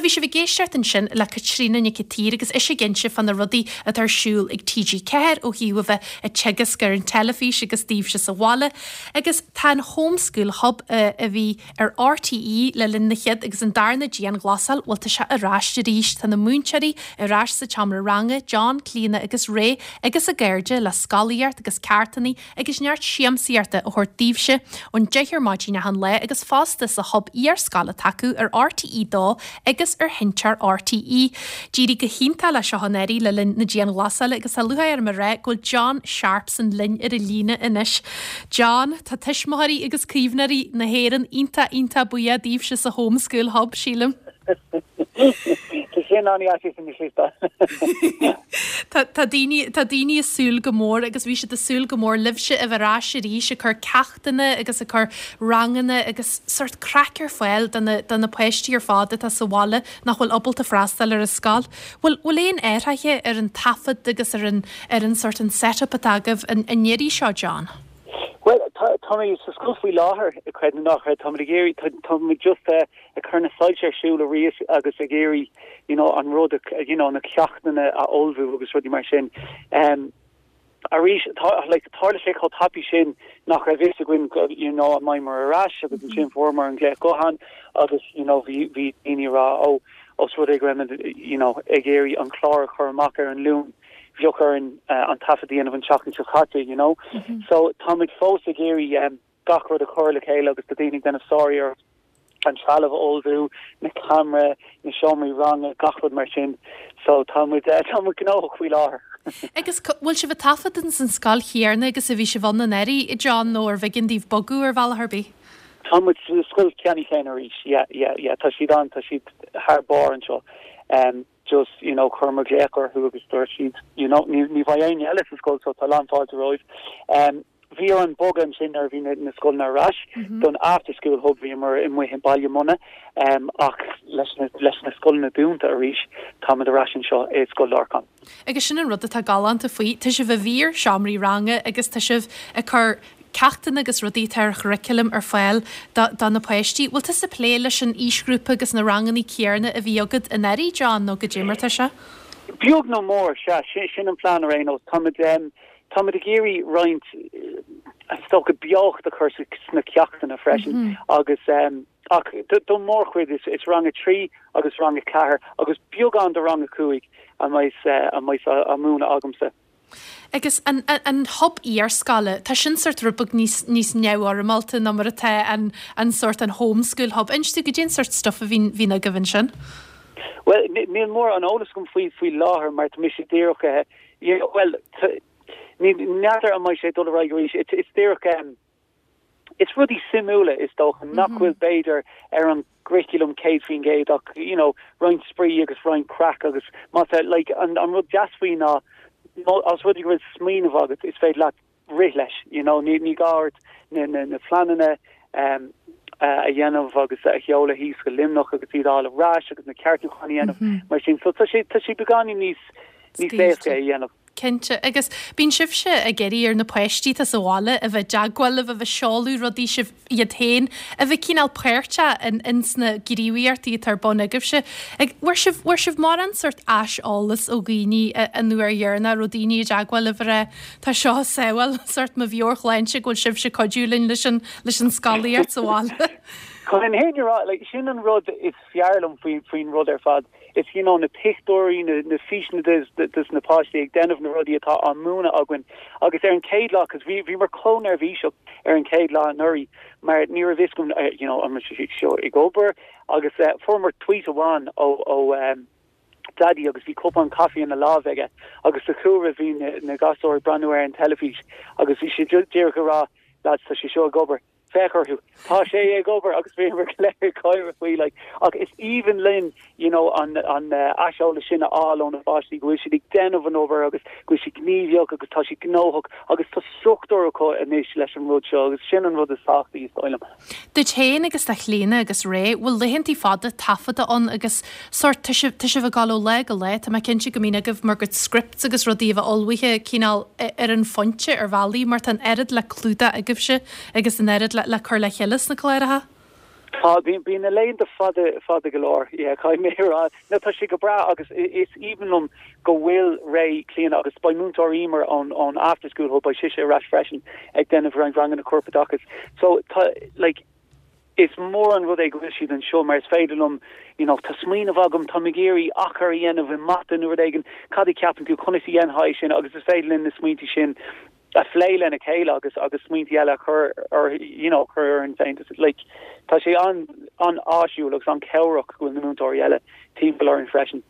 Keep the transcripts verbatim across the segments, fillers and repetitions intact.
Bhuel, bhí sibh ag éisteacht ansin le Caitríona Nic an tSaoir agus ise ag inse fá na rudaí atá ar siúl ag TG Ceathair ó thaobh a bheith ag teagasc ar an teilifís agus daoibhse sa bhaile, agus tá an Homeschool Hub uh, a bhí ar RTÉ le linn na chéad agus an darna dianghlasáil bhuel tá sé ar ais arís tá na múinteoirí ar ais sa tseomra ranga, John, Clíona agus Ray agus a gcairde le scolaíocht agus ceachtanna agus neart siamsaíochta a thabhairt daoibhse ón deich ar maidin achan lá agus fosta sa hub iarscoile atá acu ar RTÉ dó agus ar sheinnteoir RTÉ. D'éirigh go hiontach le seo anuraidh le linn na dianghlasála agus tá lúcháir orm a rá go bhfuil John Sharpson linn ar an líne anois. John tá tuismitheoirí agus caomhnóirí na hÉireann iontach iontach buíoch daoibhse sa Homeschool Hub sílim. sin an an Tá daoine tá daoine ag súil go mór agus bhí siad ag súil go mór libhse a bheith ar ais arís ag cur ceachtanna agus ag cur ranganna agus sort craic ar fáil do na do na páistí ar fad atá sa bhaile nach bhfuil ábalta freastal ar an scoil. Bhfuil bhfuil aon athruithe ar an taifead agus ar an ar an sort an setup atá agaibh an an iarraidh seo John. Well tá mé sa scoil faoi láthair ag creid nach tá ag iarraidh tá mé just ag cur na soilse ar siúl arís agus ag iarraidh you know an rud you know na ceachtanna a ullmhú agus rudaí mar sin. Um, arís like tharla sé chomh tapaidh sin nach raibh fhios againn you know an mbeimid ar ais agus mm -hmm. sin fuaireamar an glaoch gutháin agus you know bhí bhí daoine rá ó os rud é go you know ag iarraidh an clár a chur amach ar an Luan bheadh orainn uh, an taifead a dhéanamh an tseachtain seo caite you know mm -hmm. so táimid fós ag iarraidh um, gach rud a chur le chéile agus tá daoine déanamh sár an trealamh a ullmhú na camera na seomraí ranga gach rud mar sin so táimid uh, táimid gnóthach faoi láthair. Agus bhfuil sibh ag taifead san scoil chéanna agus a bhí sibh ann anuraidh John nó ar bh'éigean daoibh bogadh ar bhealach ar bith. Táimid scoil ceanna chéanna arís yeah yeah yeah tá siad an tá siad thar barr anseo um just you know chuir glaoch orthu agus dúirt siad you know ní ní bheidh éinne eile sa scoil so tá lánfháilte romhaibh um bhí an bogan sin ar bhí na scoil na ras mm -hmm. don after school hub bhíomar amuigh i Baile Munna um, ach leis na, leis na scoileanna dúnta arís táimid ar ais anseo i Scoil Lorcáin. Agus sin an rud atá galánta faoi Tá sibh i bhfíor seomraí ranga agus tá sibh ag cur ceachtanna agus rudaí ar churriculum ar fáil do na páistí. Bhfuil tú ag plé leis an aoisghrúpa agus na ranganna céanna a bhí agat anuraidh John nó goidé mar tá sé? Beag nó mór se sin, sin an plean ar aon nós Táimid um, Táimid ag iarraidh roinnt stoca beocht a chur sna ceachtanna freisin mm -hmm. agus um, ach don mórchuid is, is rang a trí agus rang a ceathair agus beagán de rang a cúig a mbeidh uh, a mbeidh á múineadh agamsa. Agus an, an, an hub iarscoile Tá sin sort rud beag níos níos neamhfhoirmeálta ná mar atá an, an sort an homeschool hub. Inis dom goidé an sort stuff a bhíonn bhíonn agaibh ansin? Well níl mórán eolas agam faoi faoi láthair mar tá mise díreach well ní n'fheadar an mbeidh sé dul arís it's díreach um, It's rudaí suimiúla is dócha nach bhfuil mm -hmm. b'fhéidir ar an gcurriculum céad faoin gcéad ach you know roinnt spraoi agus roinnt craic agus má like an, an rud deas faoi ná as rud go bhfuil smaoineamh agat is féidir leat rith leis you know ní ní gá na na, na pleananna um, uh, a dhéanamh agus a sheoladh thíos go Luimneach agus iad á fháil ar ais agus na ceartúcháin a dhéanamh mm -hmm. mar sin so tá sé tá sé beagáinín níos níos éasca a dhéanamh. Cinnte agus bíonn sibhse ag iarraidh ar na páistí atá sa bhaile a bheith i dteagmháil libh a bheith seoladh rudaí sibh iad féin a bheith cineál páirteach in ins na gníomhaíochtaí atá ar bun agaibhse. Ag bhfuair sibh bhfuair sibh mórán sort aiseolas ó dhaoine an uair dheireanach raibh daoine i dteagmháil libh a rá tá seo ag sábháil sort mo mheabhairshláinte go bhfuil sibhse ag cuidiú linn leis an leis an scolaíocht sa bhaile. Chun an fhírinne a rá like, sin an rud is fearr liom faoin faoin rud ar fad. Is you know, na pictiúirí na, na físeáin des na páistí ag déanamh na rudaí atá á múineadh againn agus ar an chéad lá cos bhí bhí mar chomh neirbhíseach ar an chéad lá anuraidh mar ní raibh fhios agam uh, you know, an seo ag obair agus uh, fuair tweet amháin ó ó um, Daddy agus bhí cupán caife ina lámh aige agus sa chúlra bhí na, na gasúir ag breathnú ar an teilifís agus bhí sé díreach ag rá lads tá sé seo ag obair. Féach orthu Tá sé ag obair agus bhí le gáire faoi like ach is aoibhinn linn you know an an uh, aiseolas sin a fháil ó na páistí go bhfuil siad ag déanamh an obair agus go bhfuil siad gníomhach agus tá siad gnóthach agus tá struchtúr acu anois leis an rud seo agus sin an rud is tábhachtaí is dóigh liom. Duit féin agus do Chlíona agus Ray bhfuil laethantaí fada taifeadta ann agus sort tá sibh ag dul ó lá go lá Tá mé cinnte go mbíonn agaibh bhur gcuid scripts agus rudaí a bheith ullmhaithe cineál ar an phointe ar bhealaí mar tá an oiread le clúdach agaibhse agus an oiread le, le cur le chéile sna cláracha? Tá bíonn na laethanta fada fada go leor yeah, caithfidh mé a rá no tá sé go breá agus is aoibhinn liom go bhfuil ré Clíona agus beidh múinteoir Emer ón ón after school hub beidh sise ar ais freisin ag déanamh roinnt ranganna corpoideachais so tá like is mór an rud é go bhfuil siad anseo mar is féidir liom you know, tá smaoineamh agam tá mé ag iarraidh achar a dhéanamh i mata nó rud éigin cad a cheapann tú conas a dhéanfaí sin agus is féidir linn na smaointe sin a phlé lena chéile agus agus smaointe eile a chur ar you know chur ar an féin like tá sé an an-áisiúil agus an-chabhrach go bhfuil na múinteoirí eile timpeall orainn freisin.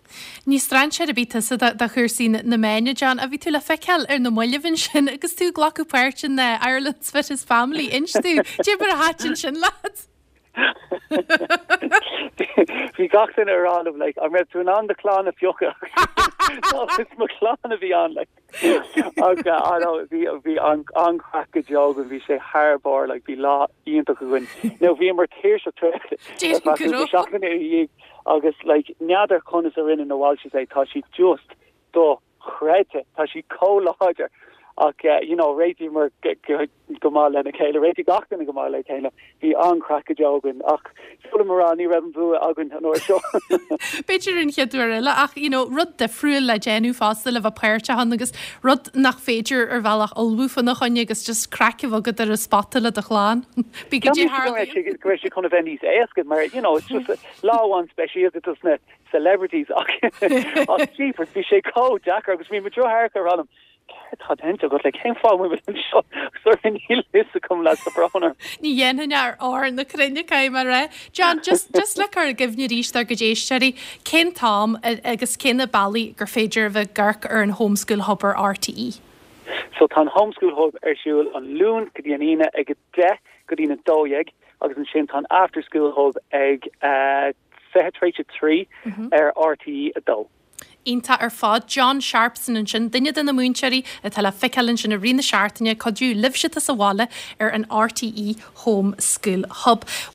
Ní strainséir ar bith tusa do chúrsaí na meán John a bhí tú le feiceáil ar na mallaibh ansin agus tú ag glacadh páirt in uh, Ireland's Fittest Family inis dúinn cad é mar a thaitin sin leat. Bhí gach duine ag rá liom like an raibh tú in ann do chlann a phiocadh is mo chlann a bhí ann like agus bhí bhí an an-chraic go deo go bhí sé thar barr like bhí lá iontach againn. Now bhíomar tuirseach seachtain agus like n'fheadar conas a rinne na Walshes é tá siad just dochreidte tá siad chomh láidir ach uh, you know réitíomar go maith lena chéile réitigh gach duine go maith le chéile bhí an-chraic go deo againn ach mar ní raibh an bua againn an uair seo. B'fhéidir an chéad uair eile ach you know, rud difriúil le déanamh fosta le bheith páirteach ann agus rud nach féidir ar bhealach ullmhú faoina choinne agus just craic a bheith agat ar an spota le do chlann. Bí go dtí go sé chun a bheith níos éasca mar you know, it's just lá amháin speisialta dos na celebrities ach ach jeepers bhí sé chomh deacair agus bhí mo dheartháir ag rá liom tá déanta agat le cén fáth seo níl a fhios agam le brón. Ní dhéanfainn ar ár na cruinne cai mar ré. John just just le cur i gcuimhne arís dár gcuid éisteoirí cén t-am agus cé na bealaí gur féidir bheith ag amharc ar an Homeschool Hub ar RTE. So tá Homeschool Hub ar siúl an Luan go dtí an Aoine ag a deich go dtí a dó dhéag agus ansin tá After School Hub ag uh, fiche tar éis a trí ar RTE a dó. Iontach ar fad John Sharpson ansin duine de na múinteoirí atá le feiceáil ansin i rith na seachtaine cuidiú libhse sa bhaile ar an RTE Home School Hub.